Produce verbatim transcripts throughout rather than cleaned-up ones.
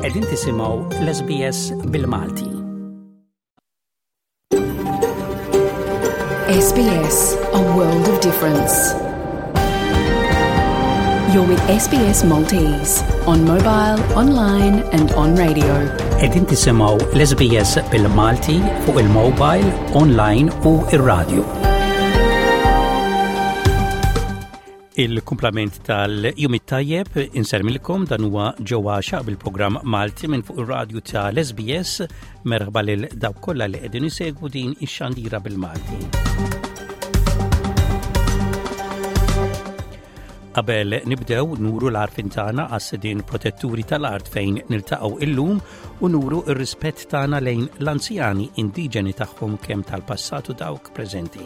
Qegħdin tisimgħu l-S B S bil-Malti. S B S, a world of difference. You're with S B S Maltese on mobile, online and on radio. Qegħdin tisimgħu l-S B S bil-Malti fuq il-mobile, online u ir-radio. Il-kumplament tal-jum it-tajjeb, insellmilkom, dan huwa Joe Axiaq bil-programm Malti minn fuq ir-radju tal-S B S. Merħba lil dawk kollha li qegħdin isegwu din ix-xandira bil-Malti. Qabel nibdew, nuru l-għarfien tagħna għas-sidien protetturi tal-art fejn niltaqgħu illum u nuru ir-rispett tagħna lejn l-anzjani indiġeni tagħhom, kemm tal-passat u dawk preżenti.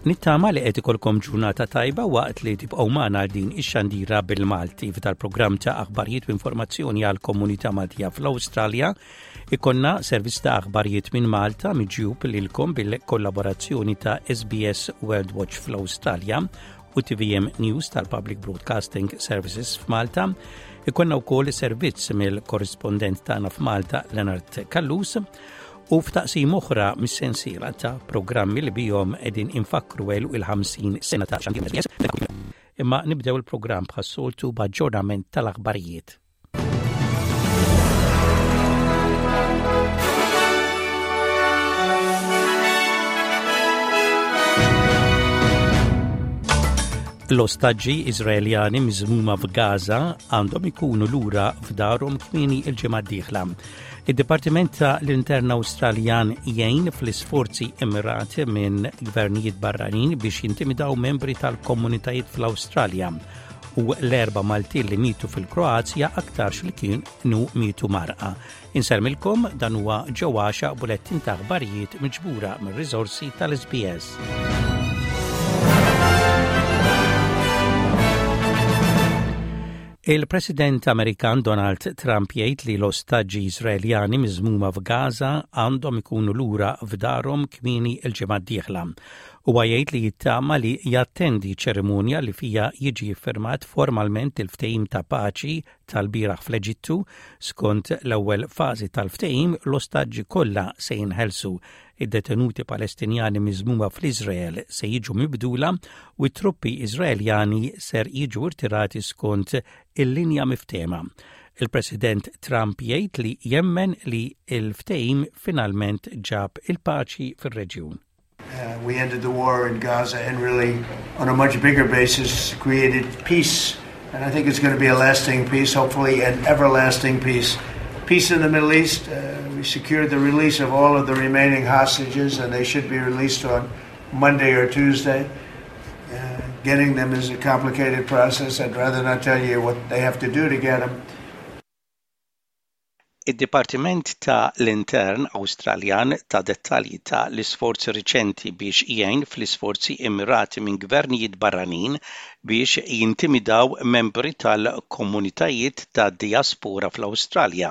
Nittama li qed ikolkom ġurnata tajba waqt li tibqgħu magħna għal din ix-xandira bil-Malti. F'dal-programm ta' aħbarijiet u informazzjoni għal komunità Maltija fl-Awstralja ikollna servizz ta' aħbarijiet minn Malta miġjub lilkom bil-kollaborazzjoni ta' S B S World Watch fl-Awstralja u T V M News tal-Public Broadcasting Services f'Malta. Ikollna wkoll servizz mill-korrispondent tagħna f'Malta, Leonard Callus, u f'taqsim oħra mis-sensiela ta' programmi li bihom qegħdin infakkru għeluq il-ħamsin sena ta' xandir S B S. Imma nibdew il-programm bħas-soltu b'aġġornament tal-aħbarijiet. L-ostaġġi Iżraeljani miżmuma f'Gaza għandhom ikunu lura f'darhom kmieni il-ġimgħa d-dieħla. Id-Dipartiment ta' l-Intern Awstraljan jgħin fl-isforzi immirati minn gvernijiet barranin biex jintimidaw membri tal-komunitajiet fl-Awstralja, u l-erba' Maltin li mitu fil-Kroazja aktarx li kienu mitu mgħarrqa. Insellmilkom, dan huwa Joe Axiaq, bulettin ta' aħbarijiet miġbura mir-riżorsi tal-S B S. Il-President Amerikan Donald Trump jgħid li l-ostaġġi Iżraeljani miżmuma f'Gaza għandhom ikunu lura f'darhom kmieni il-ġimgħa d-dieħla. Huwa jgħid li jittama li jattendi ċerimonja li fija jiġi firmat formalment il-ftehim ta' paċi tal-bieraħ fl-Eġittu. Skont l-ewwel fażi tal-ftehim, l-ostaġġi kollha se jinħelsu, id-detenuti Palestinjani miżmuma fl-Iżrael se jiġu mibdula u t-truppi Iżraeljani ser jiġu irtirati skont il-linja miftehma. Il-President Trump jgħid li jemmen li il-ftehim finalment ġab il-paċi fir-reġjun. Uh, we ended the war in Gaza and really, on a much bigger basis, created peace. And I think it's going to be a lasting peace, hopefully an everlasting peace. Peace in the Middle East. Uh, we secured the release of all of the remaining hostages, and they should be released on Monday or Tuesday. Uh, getting them is a complicated process. I'd rather not tell you what they have to do to get them. Id-Dipartiment ta' l-Intern Awstraljan ta dettalji ta' l-isforzi riċenti biex jgħin fl-isforzi immirati minn gvernijiet barranin biex jintimidaw membri tal-komunitajiet ta' diaspora fl-Awstralja.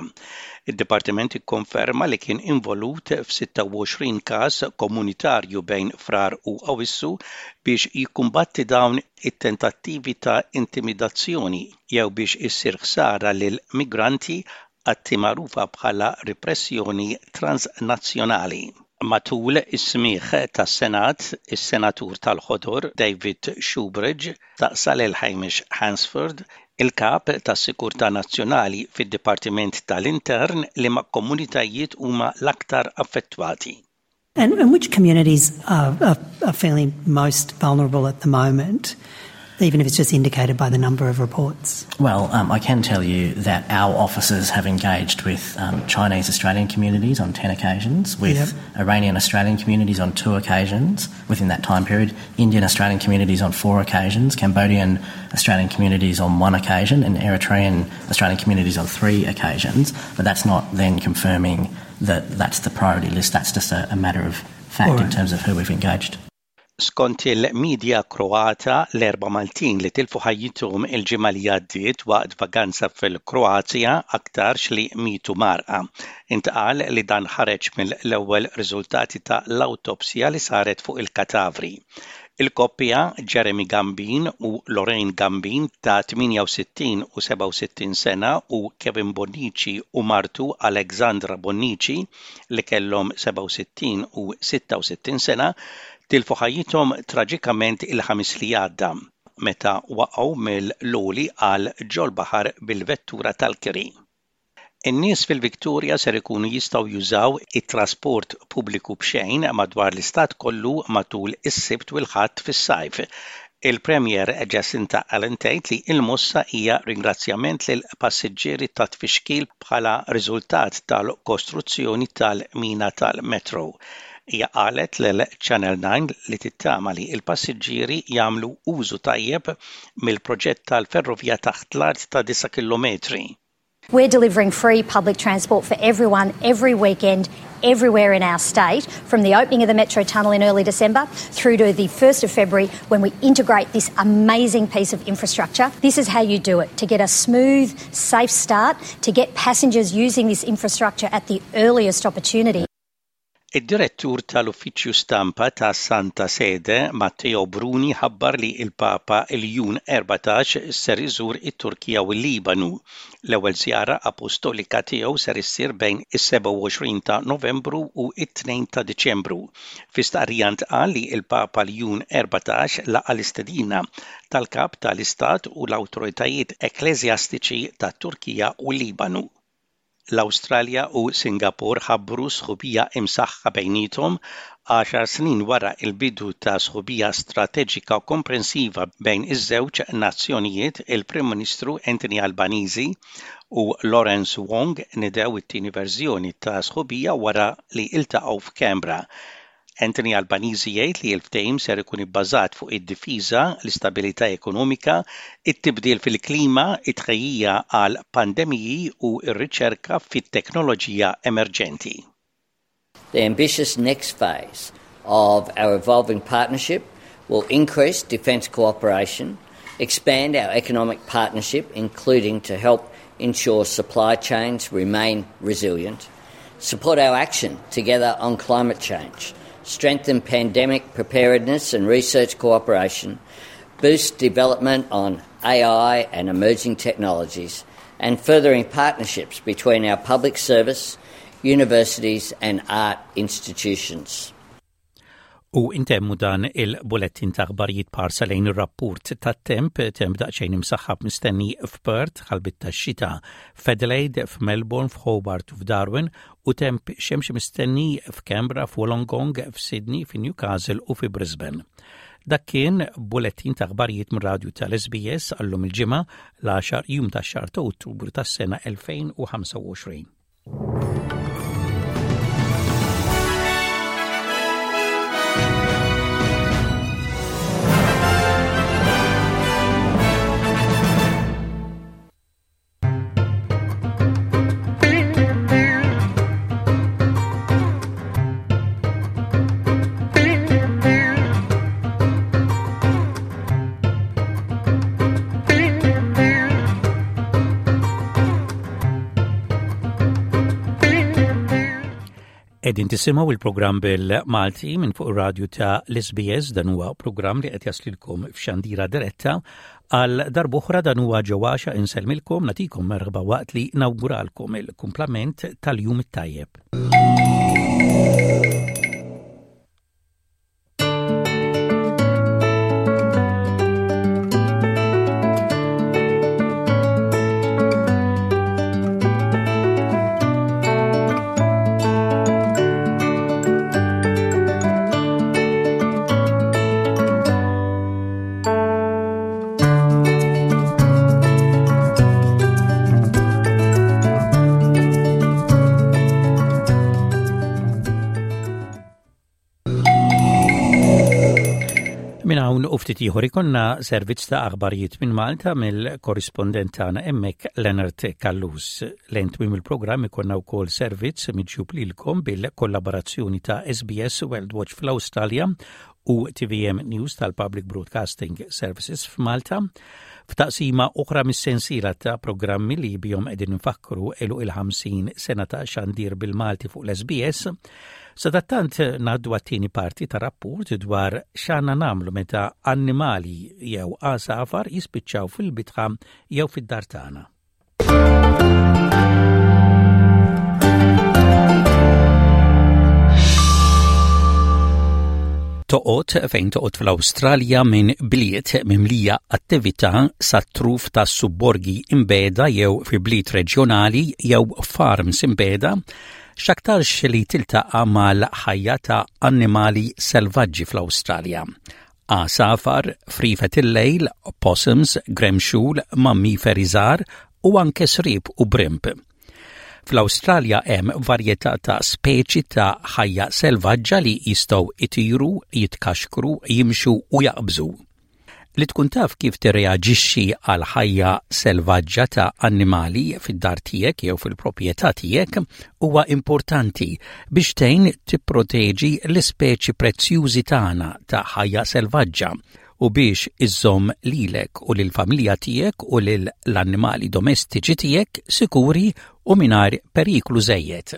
Id-Dipartiment ikkonferma li kien involut f'sitta u għoxrin każ komunitarju bejn Frar u Awissu biex jikkumbatti dawn it-tentattivi ta' intimidazzjoni jew biex issir ħsara lil migranti, atti magħrufa bħala repressjoni transnazzjonali. Matul is-smigħ tas-Senat, is-Senatur tal-Ħodor David Shoebridge staqsa lil Hamish Hansford, il-kap tas-Sikurtà Nazzjonali fid-Dipartiment tal-Intern, liema komunitajiet huma l-aktar affettwati. And, and which communities are, are, are feeling most vulnerable at the moment, even if it's just indicated by the number of reports? Well, um, I can tell you that our officers have engaged with um, Chinese Australian communities on ten occasions, with yep. Iranian Australian communities on two occasions within that time period, Indian Australian communities on four occasions, Cambodian Australian communities on one occasion, and Eritrean Australian communities on three occasions. But that's not then confirming that that's the priority list. That's just a, a matter of fact right. in terms of who we've engaged. Skont il-medja Kroata, l-erba' Maltin li tilfu ħajjithom il-ġimgħa li għaddiet waqt vaganza fil-Kroazja aktarx li mitu mgħarrqa. Intqal li dan ħareġ mill-ewwel riżultati ta' l-awtopsja li saret fuq il-katavri. Il-koppja Jeremy Gambin u Lorraine Gambin ta' tmienja u sittin u sebgħa u sittin sena u Kevin Bonnici u martu Alexandra Bonnici li kellhom sebgħa u sittin u sitta u sittin sena tilfu ħajjithom traġikament il-Ħamis li għadda meta waqgħu mill-għoli għal ġol-baħar bil-vettura tal-kiri. In-nies fil-Victoria ser ikunu jistgħu jużaw it-trasport pubbliku b'xejn madwar l-istat kollu matul is-Sibt u l-Ħadd fis-sajf. Il-Premier Jacinta Allan tgħid li l-mossa hija ringrazzjament lil passiġġieri ta' tfixkil bħala riżultat tal-kostruzzjoni tal-mina tal-metro. Hija qalet lil Channel nine li tittama li l-passiġġieri jagħmlu użu tajjeb mill-proġett tal-ferrovija taħt l-art ta' disa' kilometri. We're delivering free public transport for everyone every weekend, everywhere in our state, from the opening of the Metro Tunnel in early December through to the first of February when we integrate this amazing piece of infrastructure. This is how you do it, to get a smooth, safe start, to get passengers using this infrastructure at the earliest opportunity. Id-direttur tal-Uffiċċju Stampa ta' Santa Sede, Matteo Bruni, ħabbar li il-Papa Ljun Erbatax ser iżur it-Turkija u l-Libanu. L-ewwel żjara apostolika tiegħu ser issir bejn is-sebgħa u għoxrin ta' Novembru u t-tnejn ta' Diċembru. Fi stqarrija ntqal li il-Papa Ljun Erbatax laqa l-istedina tal-kap tal-Istat u l-awtoritajiet ekkleżjastiċi tat-Turkija u l-Libanu. L-Awstralja u Singapore ħabbru sħubija imsaħħa bejniethom għaxar snin wara il-bidu ta' sħubija strateġika komprensiva bejn iż-żewġ nazzjonijiet. Il-Prim Ministru Anthony Albanese u Lawrence Wong nidew it-tieni verżjoni ta' sħubija wara li iltaqgħu f'Canberra. Anthony Albanese jgħid li l-ftehim ser ikun ibbażat fuq id-difiża, l-istabilità ekonomika, it-tibdil fil-klima, it-tħejjija għal pandemiji u r-riċerka fit-teknoloġija emerġenti. The ambitious next phase of our evolving partnership will increase defence cooperation, expand our economic partnership, including to help ensure supply chains remain resilient, support our action together on climate change, strengthen pandemic preparedness and research cooperation, boost development on A I and emerging technologies, and furthering partnerships between our public service, universities and art institutions. U intemmu dan il-bulettin ta' aħbarijiet b'ħarsa lejn ir-rapport tat-temp. Temp daqsxejn imsaħħab mistenni f'Perth, ħalbiet tax-xita f'Adelaide, f'Melbourne, f'Hobart u f'Darwin u temp xemx mistenni f'Canberra, f'Wollongong, f'Sydney, f'Newcastle u fi Brisbane. Dak kien bulettin ta' aħbarijiet mir-radju tal-S B S għallum il-Ġimgħa, l-għaxar jum tax-xahar ta' Ottubru tas-sena elfejn u ħamsa u għoxrin. Qegħdin tisimgħu il-programm bil-Malti minn fuq ir-radju ta' l-S B S. Dan huwa programm li qed jaslilkom f'xandira diretta għal darb'oħra. Dan huwa ġewwaxa insellmilkom, nagħtikom merħba waqt li nawguralkom il-kumplament tal-jum it-tajjeb. Minn hawn u ftit ieħor ikollna servizz ta' aħbarijiet minn Malta mill-korrispondent tagħna hemmhekk, Leonard Callus. Lejn tmiem il-programm ikollna wkoll servizz miġjub lilkom bil-kollaborazzjoni ta' S B S World Watch fl-Awstralja. u T V M News tal-Public Broadcasting Services f'Malta, f'taqsima oħra mis-sensiela ta' programmi li bihom qegħdin nfakkru għeluq il-ħamsin sena ta' xandir bil-Malti fuq l-S B S. Sadattant ngħaddu għat-tieni parti ta' rapport dwar x'għandna nagħmlu meta annimali jew għasafar jispiċċaw fil-bitħa jew fid-dar tagħna. Toqgħod fejn toqgħod fl-Awstralja, minn bliet mimlija attività sa truf ta' subborgi imbiegħda jew fi bliet reġjonali jew farms imbiegħda, x'aktarx li tiltaqa' mal-ħajja ta' annimali selvaġġi fl-Awstralja. Għasafar, frifet il-lejl, possums, gremxul, mammiferi żgħar u anke sriep u brimb. Fl-Awstralja hemm varjetà ta' speċi ta' ħajja selvaġġa li jistgħu itiru, jitkaxkru, jimxu u jaqbżu. Li tkun taf kif tirreaġixxi għal ħajja selvaġġa ta' annimali fid-dar tiegħek jew fil-proprjetà tiegħek huwa importanti biex tgħin tipproteġi l-ispeċi prezzjużi tagħna ta' ħajja selvaġġa u biex iżżomm lilek u lill-familja tiegħek u lill-annimali domestiċi tiegħek sikuri u mingħajr periklu żejjed.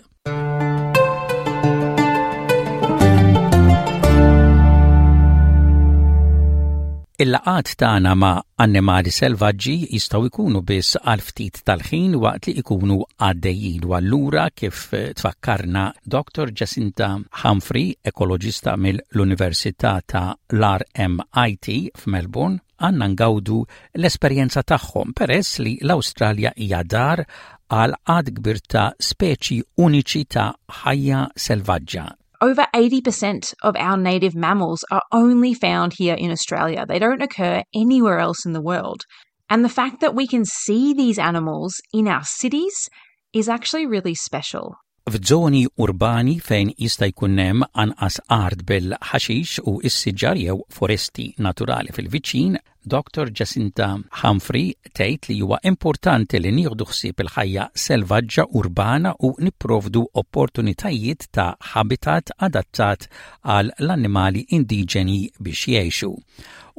Il-laqgħat tagħna ma' annimali selvaġġi jistgħu jkunu biss għal ftit tal-ħin waqt li jkunu għaddejjin, u allura, kif tfakkarna Doctor Jacinta Humphrey, ekoloġista mill-Università ta' l-R M I T f'Melbourne, għandna ngawdu l-esperjenza tagħhom peress li l-Awstralja hija dar għal għadd kbir ta' speċi uniċi ta' ħajja selvaġġa. Over eighty percent of our native mammals are only found here in Australia. They don't occur anywhere else in the world. And the fact that we can see these animals in our cities is actually really special. F'żoni urbani fejn jista' jkun hemm anqas art bil-ħaxix u s-siġar jew foresti naturali fil-viċin, Doctor Jacinta Humphrey tgħid li huwa importanti li nieħdu ħsieb il-ħajja selvaġġa urbana u nipprovdu opportunitajiet ta' habitat adattat għal l-annimali indiġeni biex jgħixu.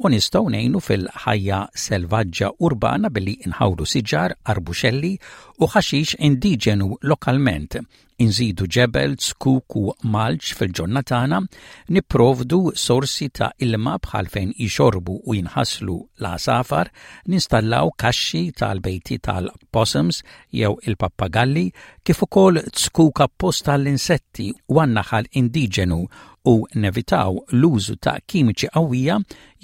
U nistgħu ngħinu fil-ħajja selvaġġa urbana billi nħawlu siġar, arbuxelli u ħaxix indiġenu lokalment, inżidu ġebel, zkuk u mulch fil-ġonna tagħna, nipprovdu sorsi ta' ilma bħal fejn jixorbu u jinħaslu l-għasafar, ninstallaw kaxxi tal-bejti tal-possums jew il-pappagalli, kif ukoll zkuk apposta l-insetti u għan-naħal indiġenu, u nevitaw l-użu ta' kimiċi qawwija,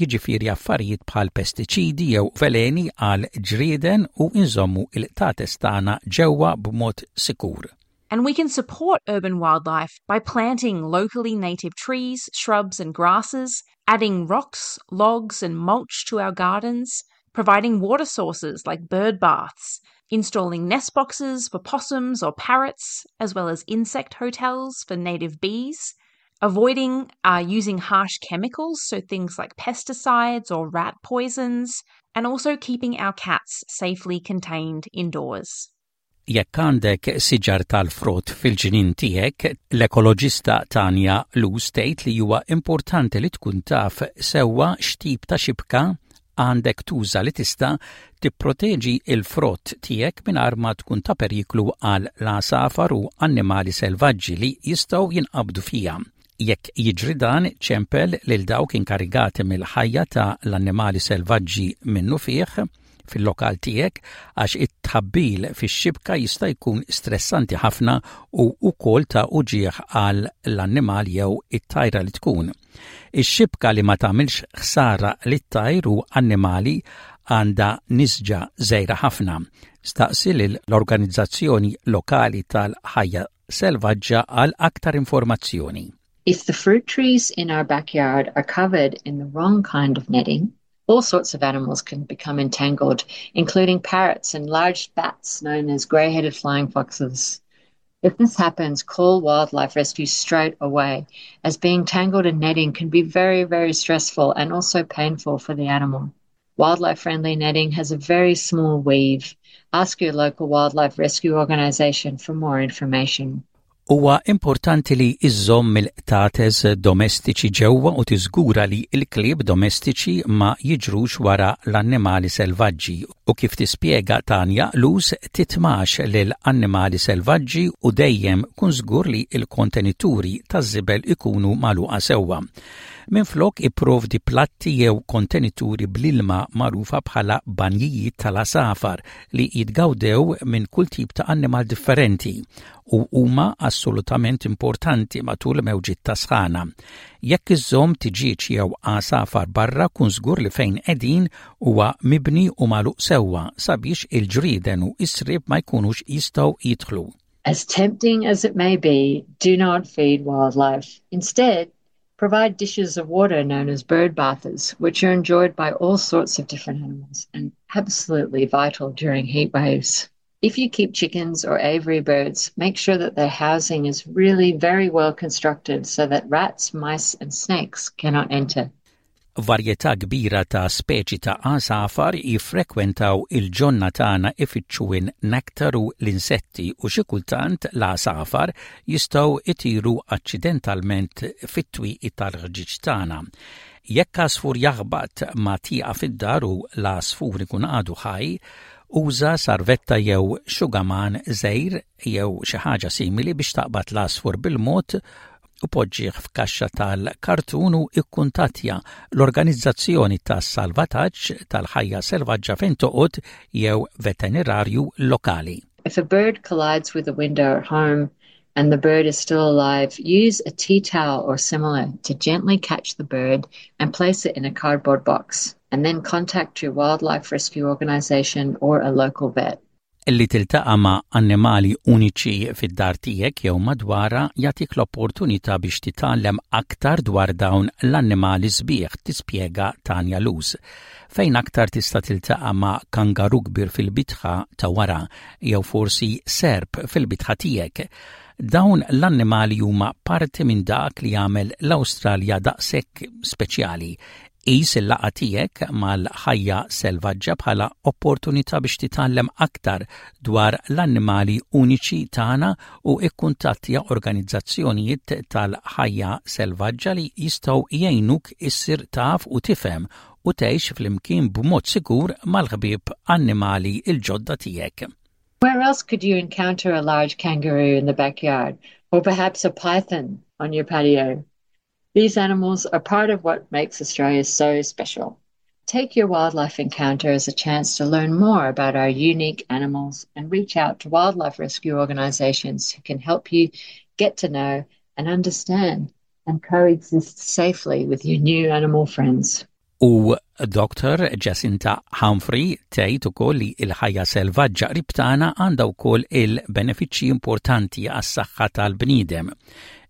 jiġifieri affarijiet bħal pestiċidi jew veleni għal ġrieden, u inżommu il-qtates tagħna ġewwa b'mod sikur. And we can support urban wildlife by planting locally native trees, shrubs, and grasses, adding rocks, logs, and mulch to our gardens, providing water sources like bird baths, installing nest boxes for possums or parrots, as well as insect hotels for native bees, avoiding uh, using harsh chemicals, so things like pesticides or rat poisons, and also keeping our cats safely contained indoors. Jekk għandek siġar tal-frott fil-ġnien tiegħek, l-ekoloġista Tanja Lu tgħid li huwa importanti li tkun taf sewwa x'tip ta' xibka għandek tuża li tista' tipproteġi il-frott tiegħek mingħajr ma tkun ta' periklu għal l-għasafar u annimali selvaġġi li jistgħu jinqabdu fiha. Jekk jiġri dan, ċempel lil dawk inkarigati mill-ħajja ta' l-annimali selvaġġi minnufih fil-lokal tiegħek, għax it-tħabbil fix-xibka jista' jkun stressanti ħafna u wkoll ta' uġieħ għal l-annimal jew it-tajra li tkun. Ix-xibka li ma tagħmilx ħsara lit-tajr u annimali għandha nisġa żgħira ħafna. Staqsi l-organizzazzjoni lokali tal-ħajja selvaġġa għal aktar informazzjoni. If the fruit trees in our backyard are covered in the wrong kind of netting, all sorts of animals can become entangled, including parrots and large bats known as grey headed flying foxes. If this happens, call Wildlife Rescue straight away, as being tangled in netting can be very, very stressful and also painful for the animal. Wildlife friendly netting has a very small weave. Ask your local wildlife rescue organisation for more information. Huwa importanti li iżżomm il-qtates domestiċi ġewwa u tiżgura li l-klieb domestiċi ma jiġrux wara l-annimali selvaġġi u kif tispjega Tanja Luz titmax lil annimali selvaġġi u dejjem kun żgur li l-kontenituri taż-żibel ikunu magħluqa sewwa. Minflok ipprovdi platti jew kontenituri bl-ilma magħrufa bħala banjijiet tal-għasafar li jitgawdew minn kull tip ta' annimal differenti u huma assolutament importanti matul mewġiet ta' sħana. Jekk iżżomm tiġieġ jew għasafar barra kun żgur li fejn qegħdin huwa mibni u magħluq sewwa sabiex il-ġrieden u s-sriep ma jkunux jistgħu jidħlu. As tempting as it may be, do not feed wildlife. Instead, provide dishes of water known as bird bathers, which are enjoyed by all sorts of different animals and absolutely vital during heat waves. If you keep chickens or aviary birds, make sure that their housing is really very well constructed so that rats, mice and snakes cannot enter. Varjetà kbira ta' speċi ta' għasafar jiffrekwentaw il-ġonna tagħna ifittxu n-nektar u l-insetti u xi kultant l-għasafar jistgħu itiru aċċidentalment fit-twieqi tal-ħġieġ tagħna. Jekk għasfur jaħbat ma' tieqa fid-dar u l-għasfur ikun għadu ħaj, uża sarvetta jew xugaman żgħir jew xi ħaġa simili biex taqbad l-għasfur bil-mod u poġġih f'kaxxa tal-kartun u ikkuntattja l-organizzazzjoni tas-salvataġġ tal-ħajja selvaġġa fejn toqgħod jew veterinarju lokali. If a bird collides with a window at home and the bird is still alive, use a tea towel or similar to gently catch the bird and place it in a cardboard box, and then contact your wildlife rescue organization or a local vet. Li tiltaqa' ma' annimali uniċi fid-dar tiegħek jew madwarha jagħtik l-opportunità biex titgħallem aktar dwar dawn l-annimali sbieħ, tispjega Tanja Luz. Fejn aktar tista' tiltaqa' ma' kangaru kbir fil-bitħa ta' wara jew forsi serp fil-bitħa tiegħek. Dawn l-annimali huma parti minn dak li jagħmel l-Awstralja daqshekk speċjali. Qis il-laqgħa tiegħek mal-ħajja selvaġġa bħala opportunità biex titgħallem aktar dwar l-annimali uniċi tagħna u ikkuntattja organizzazzjonijiet tal-ħajja selvaġġa li jistgħu jgħinuk issir taf u tifhem u tgħix flimkien b'mod sikur mal-ħbieb annimali il-ġodda tiegħek. Where else could you encounter a large kangaroo in the backyard, or perhaps a python on your patio? These animals are part of what makes Australia so special. Take your wildlife encounter as a chance to learn more about our unique animals and reach out to wildlife rescue organisations who can help you get to know and understand and coexist safely with your new animal friends. U Dr. Jacinta Humphrey tgħid ukoll li l-ħajja selvaġġa qrib tagħna għandha wkoll il-benefiċċji importanti għas-saħħa tal-bniedem.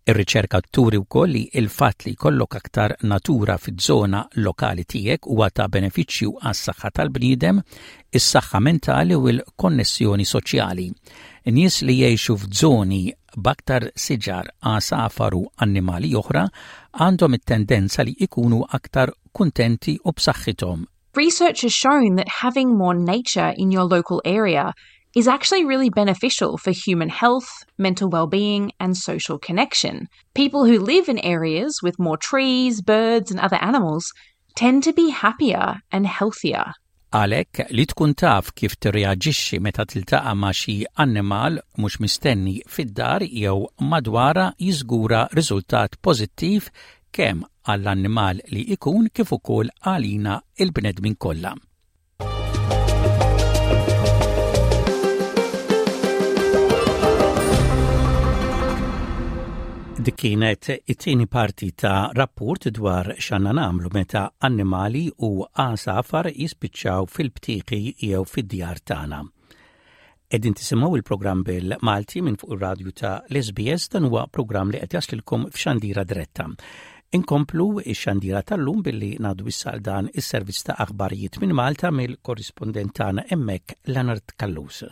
Ir-riċerka turi wkoll li il-fatt li jkollok aktar natura fiż-żona lokali tiegħek huwa ta' benefiċċju għas-saħħa tal-bniedem, is-saħħa mentali u l-konnessjoni soċjali. Nies li jgħixu f'żoni b'aktar siġar, għasafar u annimali oħra għandhom it-tendenza li ikunu aktar kuntenti u b'saħħithom. Research has shown that having more nature in your local area is actually really beneficial for human health, mental well-being and social connection. People who live in areas with more trees, birds and other animals tend to be happier and healthier. Għalhekk li tkun taf kif tirreaġixxi meta tiltaqa' ma' xi annimal mhux mistenni fid-dar jew madwarha jiżgura riżultat pożittiv kemm għall-annimal li ikun kif ukoll għalina il-bnedmin kollha. Dik kienet it-tieni parti ta' rapport dwar x'għandna nagħmlu meta annimali u għasafar jispiċċaw fil-btieqi jew fid-djar tagħna. Qegħdin tisimgħu il-programm bil-Malti minn fuq ir-radju ta' l-SBS dan huwa programm li qed jaslilkom f'xandira diretta. Inkomplu ix-xandira tal-lum billi ngħaddu issa dan is-servizz ta' aħbarijiet minn Malta mill-korrispondent tagħna hemmhekk Leonard Callus.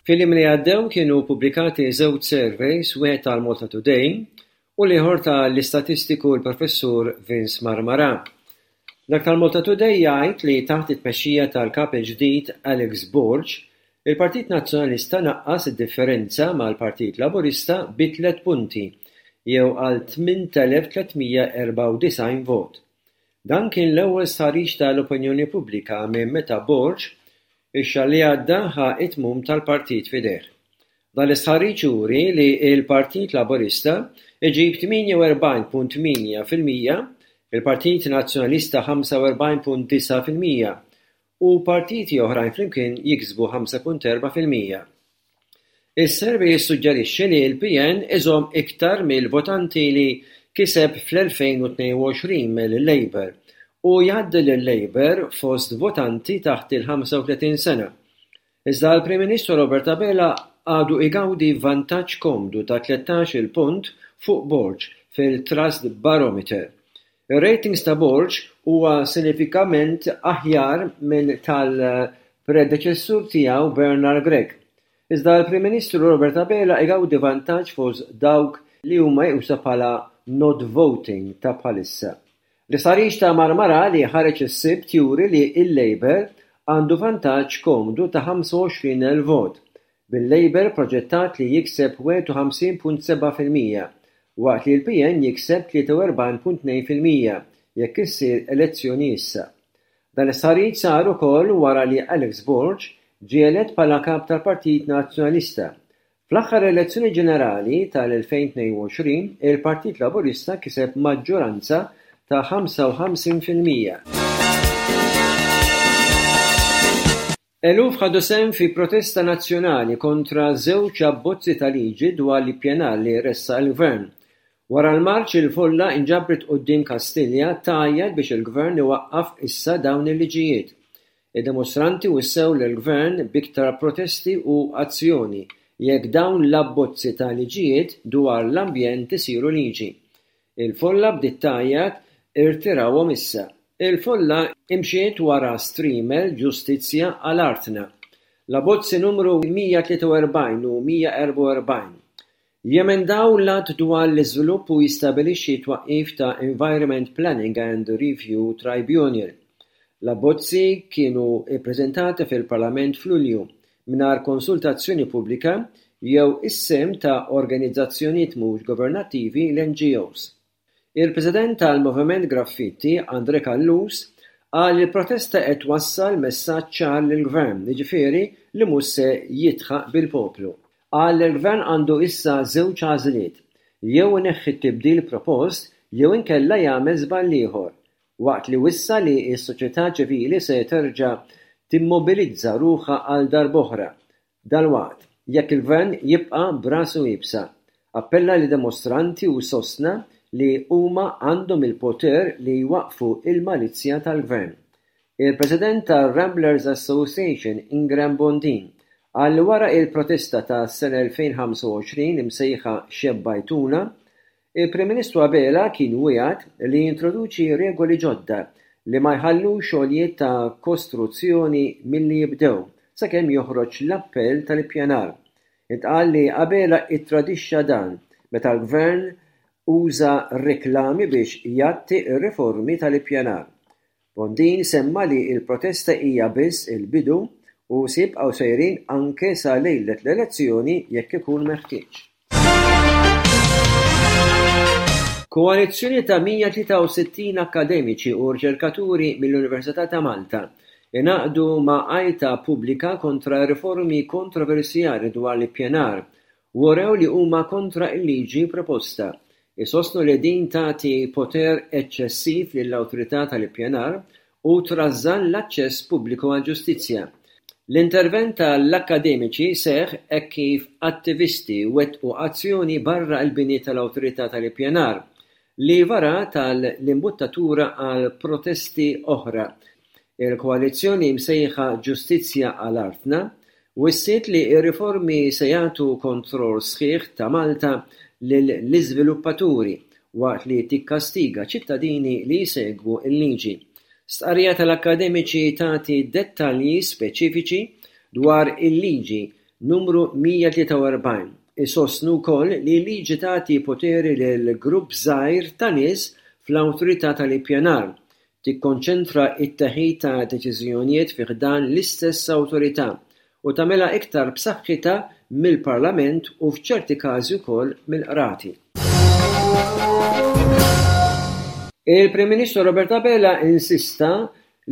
Fil-jiem li għaddew kienu pubblikati żewġ surveys, wieħed tal-Malta Today u l-ieħor tal-istatistiku l-professur Vince Marmara. Dak tal-Malta Today jgħid li taħt it-tmexxija tal-kap il-ġdid Alex Borg, il-Partit Nazzjonalista naqqas id-differenza mal-Partit Laburista bi tliet punti jew għal tmint elef tliet mija erbgħa u disgħin vot. Dan kien l-ewwel stħarriġ tal-opinjoni pubblika minn meta Borg ix-xahar li għadda ħa it-tmum tal-partit f'idejh. Dan l-istħarriġ juri li l-Partit Laburista iġib tmienja u erbgħin punt tmienja fil-mija, il-Partit Nazzjonalista ħamsa u erbgħin punt disa' fil-mija u partiti oħrajn flimkien jiksbu ħamsa punt erba' fil-mija. Is-survey jissuġġerixxi li l-P N iżomm iktar mill-votanti li kiseb fl-elfejn u tnejn u għoxrin mill-Labour u jgħaddi lil-Labour fost votanti taħt il-ħamsa u tletin sena. Iżda l-Prim Ministru Robert Abela għadu igawdi vantaġġ komdu ta' tlettax-il punt fuq Borg fil-Trust Barometer. Ir-ratings ta' Borg huwa sinifikament aħjar minn tal-predeċessur tiegħu Bernard Grech. Iżda l-Prim Ministru Robert Abela igawdi vantaġġ fost dawk li huma meqjusa bħala not voting ta' bħalissa. L-istħarriġ ta' Marmara li ħareġ is-Sibt juri li l-Labour għandu vantaġġ komdu ta' ħamsa u għoxrin elf vot, bil-Labour proġettat li jikseb wieħed u ħamsin punt seba' fil-mija, waqt li l-P N jikseb tlieta u erbgħin punt tnejn fil-mija jekk issir elezzjoni issa. Dan l-istħarriġ sar ukoll wara li Alex Borg ġie elett bħala kap tal-Partit Nazzjonalista. Fl-aħħar elezzjoni ġenerali tal-elfejn tnejn u għoxrin, il-Partit Laburista kiseb maġġoranza ta' ħamsa u ħamsin fil-mija. Eluf ħadu sehem fi protesta nazzjonali kontra żewġ abbozzi ta' liġi dwar l-ippjanar li ressaq il-Gvern. Wara l-marċ il-folla inġabret quddiem Kastilja tgħajjat biex il-Gvern iwaqqaf issa dawn il-liġijiet. Id-dimostranti wissew lill-Gvern b'iktar protesti u azzjoni jekk dawn l-abbozzi ta' liġijiet dwar l-ambjent isiru liġi. Il-folla bdiet tgħajjat irtirawhom issa. Il-folla imxiet wara streamer Ġustizzja għal Artna. L-abbozzi numru mija tlieta u erbgħin u mija erbgħa u erbgħin jemendaw l-att dwar l-iżvilupp u jistabilixxi twaqqif ta' Environment Planning and Review Tribunal. L-abbozzi kienu ippreżentati fil-Parlament f'Lulju mingħajr konsultazzjoni pubblika jew is-sehem ta' organizzazzjonijiet mhux governattivi l-N G Os. Il-President tal-Moviment Graffitti, Andre Callus, qal li l-protesta qed twassal messaġġ ċar lill-Gvern, jiġifieri li mhux se jidħaq bil-poplu. Qal li l-Gvern għandu issa żewġ għażliet, jew ineħħi t-tibdil propost jew inkella jagħmel żball ieħor, waqt li wissa li s-soċjetà ċivili se terġa' timmobilizza ruħha għal darb'oħra. Dalwaqt, jekk il-Gvern jibqa' b'rasu iebsa, appella li dimostranti u sostna li huma għandhom il-poter li jwaqfu il-malizja tal-Gvern. Il-President tal-Ramblers Association Ingram Bondin qal li wara il-protesta ta' sena elfejn ħamsa u għoxrin imsejħa Xebbajtuna, il-Prim Ministru Abela kien wiegħed li jintroduċi regoli ġodda li ma jħallux xogħlijiet ta' kostruzzjoni milli jibdew sakemm joħroġ l-appell tal-ippjanar. Intqal li Abela ittradixxa dan meta l-Gvern uża reklami biex jgħatti r-riformi tal-ippjanar. Bondin semma li l-protesta hija biss il-bidu u se jibqgħu sejrin anke sa lejlet l-elezzjoni jekk ikun meħtieġ. Koalizzjoni ta' mija tlieta u sittin akademiċi u riċerkaturi mill-Università ta' Malta ingħaqdu ma' għajta pubblika kontra riformi kontroversjali dwar l-ippjanar u wrew li huma kontra l-liġi proposta. Isostnu li din tagħti poter eċċessiv lill-awtorità tal-ippjanar u trażżan l-aċċess pubbliku għall-ġustizzja. L-intervent tal-akademiċi seħħ hekk kif attivisti wettqu azzjoni barra l-bini tal-awtorità tal-ippjanar li vara tal-imbuttatura għal protesti oħra. Il-koalizzjoni msejħa Ġustizzja għal Artna wissiet li r-riformi se jagħtu kontroll sħiħ ta' Malta lill-iżviluppaturi waqt li tikkastiga ċittadini li jsegwu l-liġi. Stqarrija tal-akademiċi tagħti dettalji speċifiċi dwar il-liġi numru mija tlieta u erbgħin. Isostnu wkoll li l-liġi tagħti poteri lil grupp żgħir ta' nies fl-awtorità tal-ippjanar, Tikkonċentra t-teħid ta' deċiżjonijiet fi ħdan l-istess awtorità u tagħmilha iktar b'saħħitha mill-Parlament u f'ċerti każi wkoll mill-qrati. Il-Prim Ministru Robert Abela insista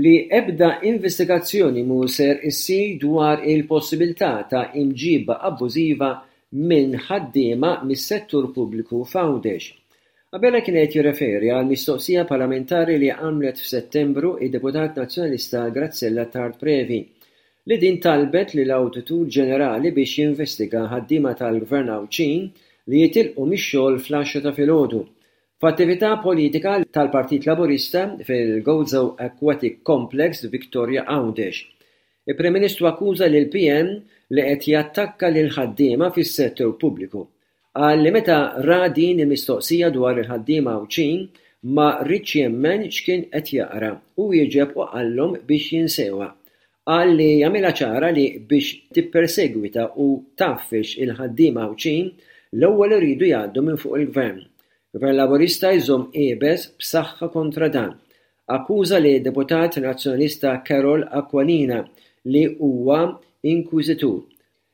li ebda investigazzjoni mhu ser issir dwar il-possibilità ta' imġiba abbużiva minn ħaddiema mis-settur pubbliku f'Għawdex. Abela kien qed jirreferi għal mistoqsija parlamentari li għamlet f'Settembru id-deputat nazzjonalista Graziella Attard Previ, li din talbet lill-Awditur Ġenerali biex jinvestiga ħaddiema tal-Gvern Għawdxin li jitilqu mix-xogħol fl-għaxra ta' filgħodu. F'attività politika tal-Partit Laburista fil-Gozo Aquatic Complex Victoria Għawdex. Il-Prim Ministru akkuża lil P N li qed jattakka lil ħaddiema fis-settur pubbliku. Qal li meta ra din il-mistoqsija dwar il-ħaddiema Għawdxin ma riedx jemmen x'kien qed jaqra u wieġeb u qallhom biex jinsewha. Qal li jagħmilha ċara li biex tippersegwita u tgħaffeġ il-ħaddiema Għawdxin l-ewwel iridu jgħaddu minn fuq il-gvern. Gvern Laburista jżomm iebes b'saħħa kontra dan. Akkuża lid-deputat nazzjonalista Karol Aquilina li huwa inkwiżitur.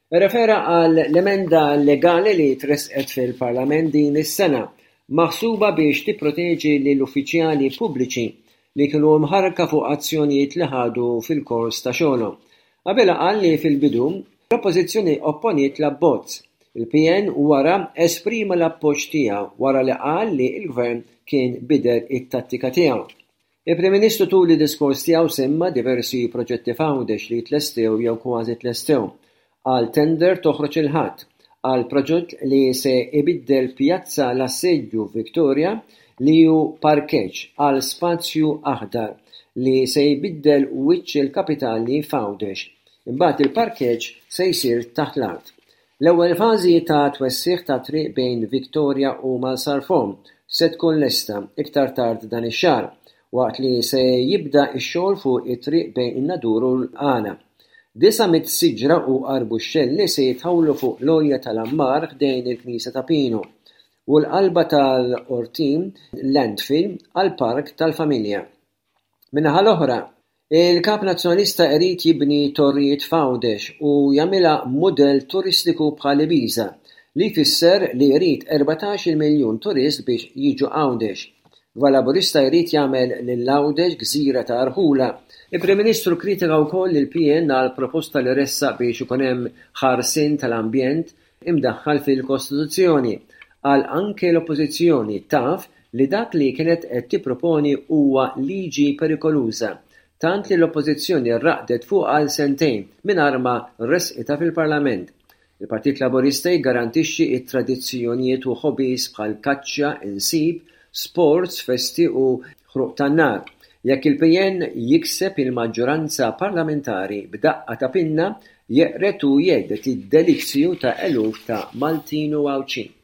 Irrefera għal l-emenda legali li tresqet fil-Parlament din is-sena, maħsuba biex tipproteġi lill-uffiċjali pubbliċi li kienu mħarrka fuq azzjonijiet li ħadu fil-kors ta' xogħolhom. Abela qal li fil-bidu l-Oppożizzjoni opponiet l-abbozz. Il-P N wara esprima l-appoġġ tiegħu wara li qal li l-Gvern kien bidel it-tattika tiegħu. Il-Prim Ministru tul id-diskors tiegħu semma diversi proġetti f'Għawdex li tlestew jew kważi tlestew. Qal tender toħroġ il-Ħadd għal proġett li se ibiddel Pjazza l-Assedju Victoria, li hu parkeġġ, għal spazju aħdar li se jbiddel wiċċ il-kapitali f'Għawdex. Imbagħad il-parkeġġ se jsir taħt l-art. L-ewwel fażi ta' twessiħ ta' triq bejn Victoria u Marsalforn se tkun lesta iktar tard dan ix-xahar, waqt li se jibda x-xogħol fuq it-triq bejn in-Nadur u l-Qala. Disa' mitt siġra u arbuxxelli se jitħawlu fuq l-għolja tal-Ammar ħdejn il-Knisja ta' Pinu u l-qalba tal-Qortin landfill għal park tal-familja. Min-naħa l-oħra, il-kap nazzjonalista irid jibni torrijiet f'Għawdex u jagħmilha mudell turistiku bħal Ibiza, li jfisser li jrid erbatax-il miljun turist biex jiġu Għawdex. Gvern Laburista jrid jagħmel lil Għawdex gżira ta' rħula. Il-Prim Ministru kritika wkoll il-P N għal proposta li ressaq biex ikun hemm ħarsien tal-ambjent imdaħħal fil-Kostituzzjoni. Qal anke l-Oppożizzjoni taf li dak li kienet qed tipproponi huwa liġi perikoluża, tant li l-Oppożizzjoni raqdet fuq għal sentejn mingħajr ma resqitha fil-Parlament. Il-Partit Laburista jiggarantixxi t-tradizzjonijiet u hobbies bħal kaċċa, insib, sports, festi u ħruq tan-nar. Jekk il-P N jikseb il-maġġoranza parlamentari, b'daqqa ta' pinna jeqred u jhedded id-delizzju ta' eluf ta' Maltin u Għawdxin.